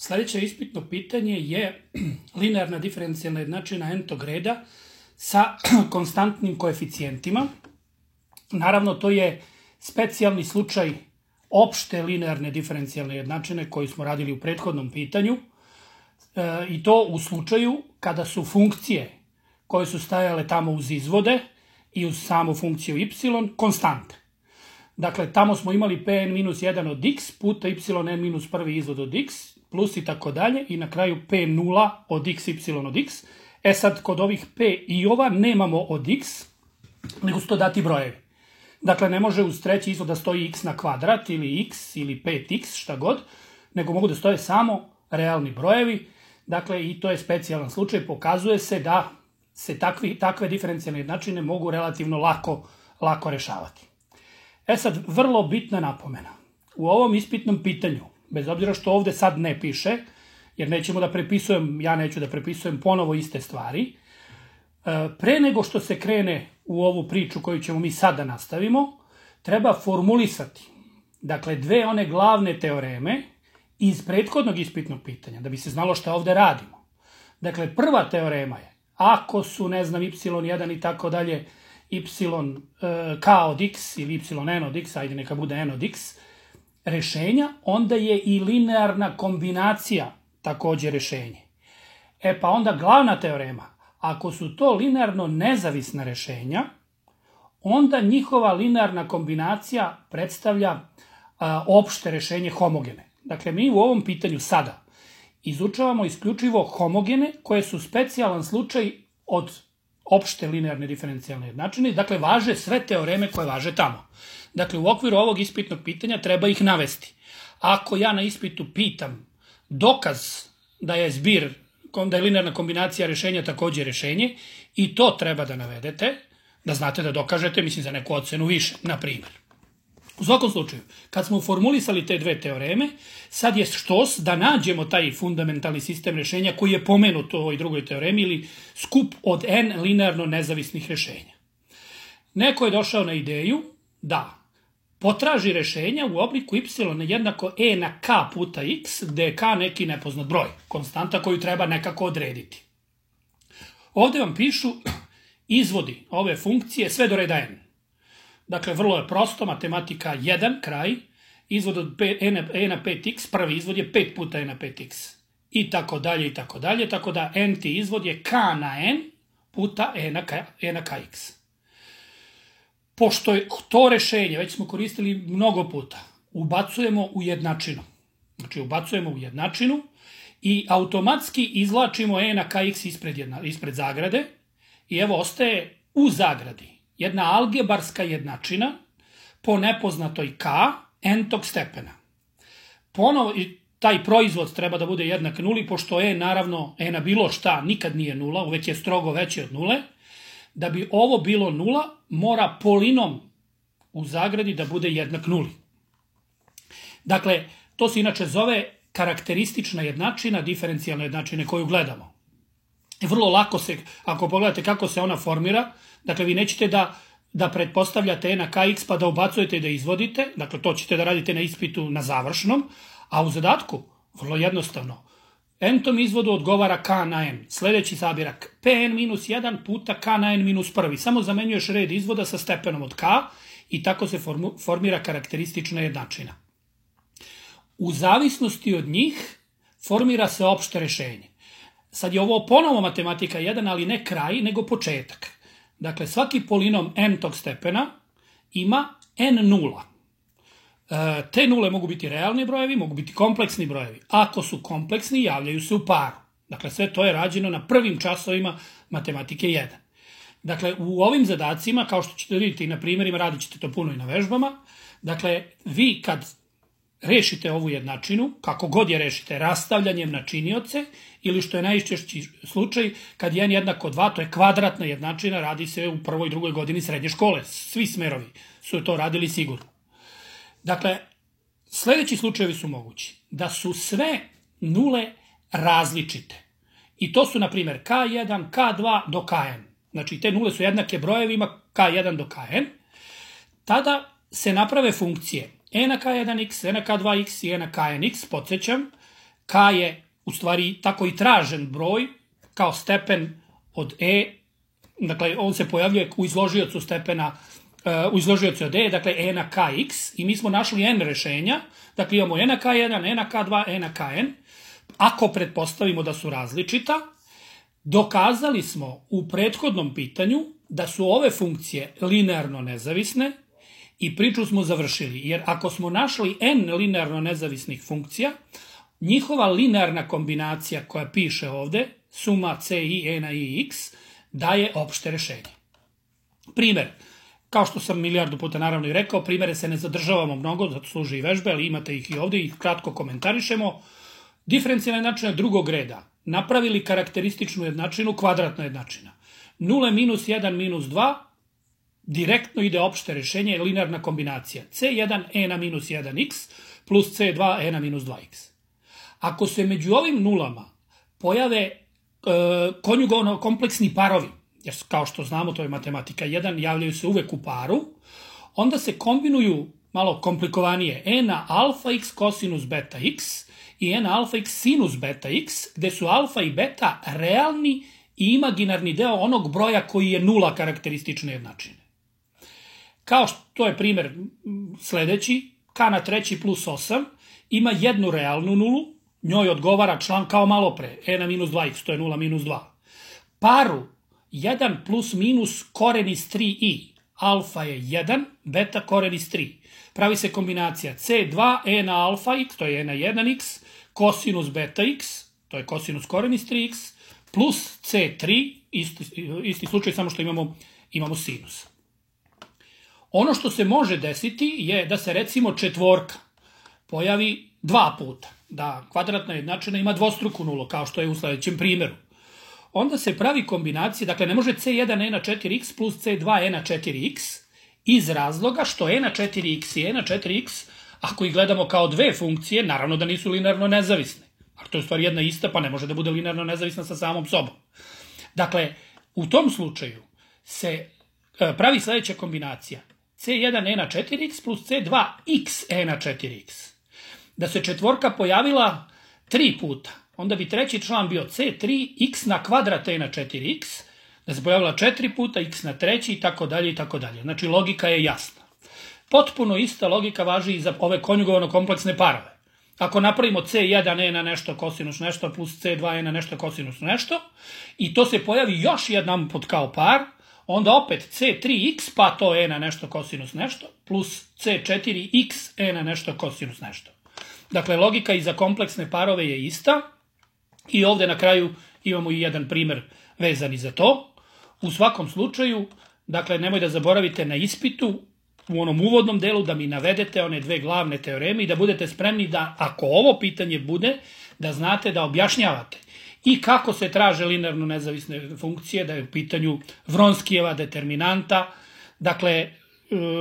Sljedeće ispitno pitanje je linearna diferencijalna jednačina n-tog reda sa konstantnim koeficijentima. Naravno, to je specijalni slučaj opšte linearne diferencijalne jednačine koju smo radili u prethodnom pitanju i to u slučaju kada su funkcije koje su stajale tamo uz izvode i uz samu funkciju y konstante. Dakle, tamo smo imali pn-1 od x puta yn-1 izvod od x plus i tako dalje i na kraju p0 od x, y od x. Sad, kod ovih p i ova nemamo od x, nego su to dati brojevi. Dakle, ne može uz treći izvod da stoji x na kvadrat ili x ili 5x, šta god, nego mogu da stoje samo realni brojevi. Dakle, i to je specijalan slučaj. Pokazuje se da se takve diferencijalne jednačine mogu relativno lako rešavati. Sad, vrlo bitna napomena. U ovom ispitnom pitanju, bez obzira što ovde sad ne piše, jer ja neću da prepisujem ponovo iste stvari, pre nego što se krene u ovu priču koju ćemo mi sad da nastavimo, treba formulisati, dakle, dve one glavne teoreme iz prethodnog ispitnog pitanja, da bi se znalo šta ovde radimo. Dakle, prva teorema je, ako su, y1 i tako dalje, k od x ili yn od x, ajde neka bude n od x, rešenja, onda je i linearna kombinacija takođe rešenje. Pa onda glavna teorema, ako su to linearno nezavisna rešenja, onda njihova linearna kombinacija predstavlja opšte rešenje homogene. Dakle, mi u ovom pitanju sada izučavamo isključivo homogene koje su specijalan slučaj od opšte linearne diferencijalne jednačine. Dakle, važe sve teoreme koje važe tamo. Dakle, u okviru ovog ispitnog pitanja treba ih navesti. Ako ja na ispitu pitam dokaz da je da je linearna kombinacija rešenja takođe rešenje, i to treba da navedete, da znate da dokažete, za neku ocenu više, na primjer. U svakom slučaju, kad smo formulisali te dve teoreme, sad je štos da nađemo taj fundamentalni sistem rešenja koji je pomenut u ovoj drugoj teoremi ili skup od n linearno nezavisnih rešenja. Neko je došao na ideju da potraži rešenja u obliku y jednako e na k puta x, gde je k neki nepoznat broj, konstanta koju treba nekako odrediti. Ovde vam pišu izvodi ove funkcije sve do reda n. Dakle, vrlo je prosto, matematika 1, kraj, izvod od e na 5x, prvi izvod je 5 puta e na 5x. I tako dalje, i tako dalje, tako da n-ti izvod je k na n puta e na kx. Pošto je to rešenje, već smo koristili mnogo puta, ubacujemo u jednačinu. Znači, ubacujemo u jednačinu i automatski izvlačimo e na kx ispred zagrade i evo ostaje u zagradi jedna algebarska jednačina po nepoznatoj k n-tog stepena. Ponovo, taj proizvod treba da bude jednak nuli, pošto naravno, na bilo šta nikad nije nula, uvek je strogo veći od nule. Da bi ovo bilo nula, mora polinom u zagradi da bude jednak nuli. Dakle, to se inače zove karakteristična jednačina, diferencijalna jednačina koju gledamo. Vrlo lako se, ako pogledate kako se ona formira, dakle, vi nećete da pretpostavljate e na kx pa da ubacujete i da izvodite, dakle, to ćete da radite na ispitu na završnom, a u zadatku, vrlo jednostavno, n-tom izvodu odgovara k na n. Sljedeći sabirak, pn-1 puta k na n-1. Samo zamenjuješ red izvoda sa stepenom od k i tako se formira karakteristična jednačina. U zavisnosti od njih formira se opšte rešenje. Sad je ovo ponovo matematika 1, ali ne kraj, nego početak. Dakle, svaki polinom n-tog stepena ima n nula. Te nule mogu biti realni brojevi, mogu biti kompleksni brojevi. Ako su kompleksni, javljaju se u paru. Dakle, sve to je rađeno na prvim časovima matematike 1. Dakle, u ovim zadacima, kao što ćete vidjeti i na primjerima, radit ćete to puno i na vežbama, dakle, vi kad rešite ovu jednačinu, kako god je rešite, rastavljanjem na činioce, ili što je najčešći slučaj, kad je n jednako 2, to je kvadratna jednačina, radi se u prvoj i drugoj godini srednje škole. Svi smerovi su to radili sigurno. Dakle, sljedeći slučajevi su mogući. Da su sve nule različite. I to su, na primjer, k1, k2 do kn. Znači, te nule su jednake brojevima k1 do kn. Tada se naprave funkcije e na k1x, e na k2x i e na knx, podsjećam, K je u stvari tako i tražen broj kao stepen od e, dakle on se pojavljuje u izložiocu stepena, u izložiocu od e, dakle e na kx, i mi smo našli n rešenja, dakle imamo e na k1, e na k2, e na kn. Ako pretpostavimo da su različita, dokazali smo u prethodnom pitanju da su ove funkcije linearno nezavisne i priču smo završili, jer ako smo našli n linearno nezavisnih funkcija, njihova linearna kombinacija koja piše ovde, suma c i e na i x, daje opšte rešenje. Primer, kao što sam milijardu puta naravno i rekao, primere se ne zadržavamo mnogo, zato služi i vežbe, ali imate ih i ovde i kratko komentarišemo. Diferencijalna jednačina drugog reda. Napravili karakterističnu jednačinu, kvadratna jednačina. 0 minus 1 minus 2, direktno ide opšte rešenje, linearna kombinacija. C1 e na minus 1x plus c2 e na minus 2x. Ako se među ovim nulama pojave konjugovano kompleksni parovi, jer kao što znamo to je matematika 1, javljaju se uvek u paru, onda se kombinuju malo komplikovanije e na alfa x kosinus beta x i e na alfa x sinus beta x, gde su alfa i beta realni i imaginarni deo onog broja koji je nula karakteristične jednačine. Kao što je primer sledeći, k na treći plus 8 ima jednu realnu nulu, njoj odgovara član kao malo pre, e na minus 2x, to je 0 minus 2. Paru 1 plus minus koren iz 3i, alfa je 1, beta koren iz 3. Pravi se kombinacija c2 e na alfa x, to je e na 1x, kosinus beta x, to je kosinus koren iz 3x, plus c3, isti slučaj, samo što imamo sinus. Ono što se može desiti je da se recimo četvorka pojavi dva puta, da kvadratna jednačina ima dvostruku nulu, kao što je u sledećem primeru. Onda se pravi kombinacija, dakle ne može c1 e na 4x plus c2 e na 4x, iz razloga što e na 4x i e na 4x, ako ih gledamo kao dve funkcije, naravno da nisu linearno nezavisne. Ali to je u stvari jedna ista, pa ne može da bude linearno nezavisna sa samom sobom. Dakle, u tom slučaju se pravi sledeća kombinacija. C1 e na 4x plus c2x e na 4x. Da se četvorka pojavila 3 puta, onda bi treći član bio c3x na kvadrat e na 4x, da se pojavila 4 puta x na treći i tako dalje i tako dalje. Znači, logika je jasna. Potpuno ista logika važi i za ove konjugovano kompleksne parove. Ako napravimo c1 e na nešto kosinus nešto plus c2 e na nešto kosinus nešto i to se pojavi još jedan put kao par, onda opet c3x pa to e na nešto kosinus nešto plus c4x e na nešto kosinus nešto. Dakle, logika i za kompleksne parove je ista i ovde na kraju imamo i jedan primer vezan i za to. U svakom slučaju, dakle, nemoj da zaboravite na ispitu u onom uvodnom delu da mi navedete one dve glavne teoreme i da budete spremni da, ako ovo pitanje bude, da znate da objašnjavate i kako se traže linearno nezavisne funkcije, da je u pitanju Vronskijeva determinanta, dakle,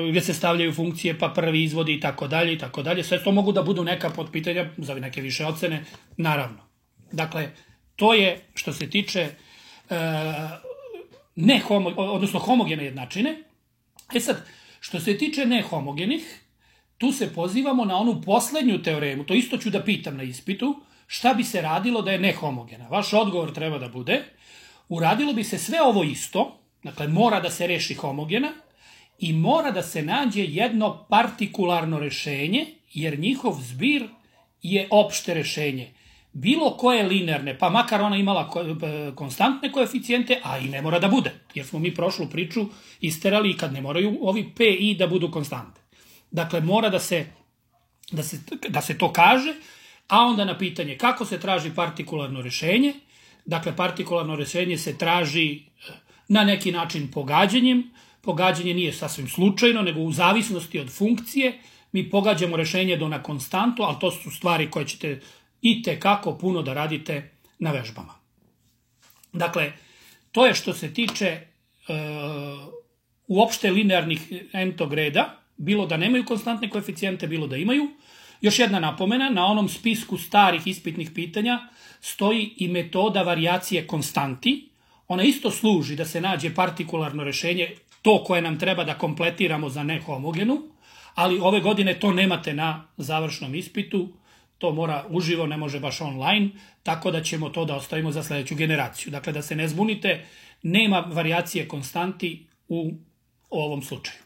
gdje se stavljaju funkcije pa prvi izvodi i tako dalje i tako dalje. Sve to mogu da budu neka podpitanja za neke više ocene, naravno. Dakle, to je što se tiče homogene jednačine. E sad, što se tiče nehomogenih, tu se pozivamo na onu poslednju teoremu, to isto ću da pitam na ispitu, šta bi se radilo da je nehomogena. Vaš odgovor treba da bude, uradilo bi se sve ovo isto, dakle mora da se reši homogena i mora da se nađe jedno partikularno rešenje, jer njihov zbir je opšte rešenje. Bilo koje linearne, pa makar ona imala konstantne koeficijente, a i ne mora da bude, jer smo mi prošlu priču isterali i kad ne moraju ovi p i da budu konstante. Dakle, mora da se to kaže, a onda na pitanje kako se traži partikularno rešenje. Dakle, partikularno rešenje se traži na neki način pogađanjem. Pogađanje nije sasvim slučajno, nego u zavisnosti od funkcije. Mi pogađamo rešenje do na konstantu, ali to su stvari koje ćete itekako puno da radite na vežbama. Dakle, to je što se tiče uopšte linearnih n-tog reda, bilo da nemaju konstantne koeficijente, bilo da imaju. Još jedna napomena, na onom spisku starih ispitnih pitanja stoji i metoda varijacije konstanti. Ona isto služi da se nađe partikularno rešenje, to koje nam treba da kompletiramo za nehomogenu, ali ove godine to nemate na završnom ispitu, to mora uživo, ne može baš online, tako da ćemo to da ostavimo za sljedeću generaciju. Dakle, da se ne zbunite, nema varijacije konstanti u ovom slučaju.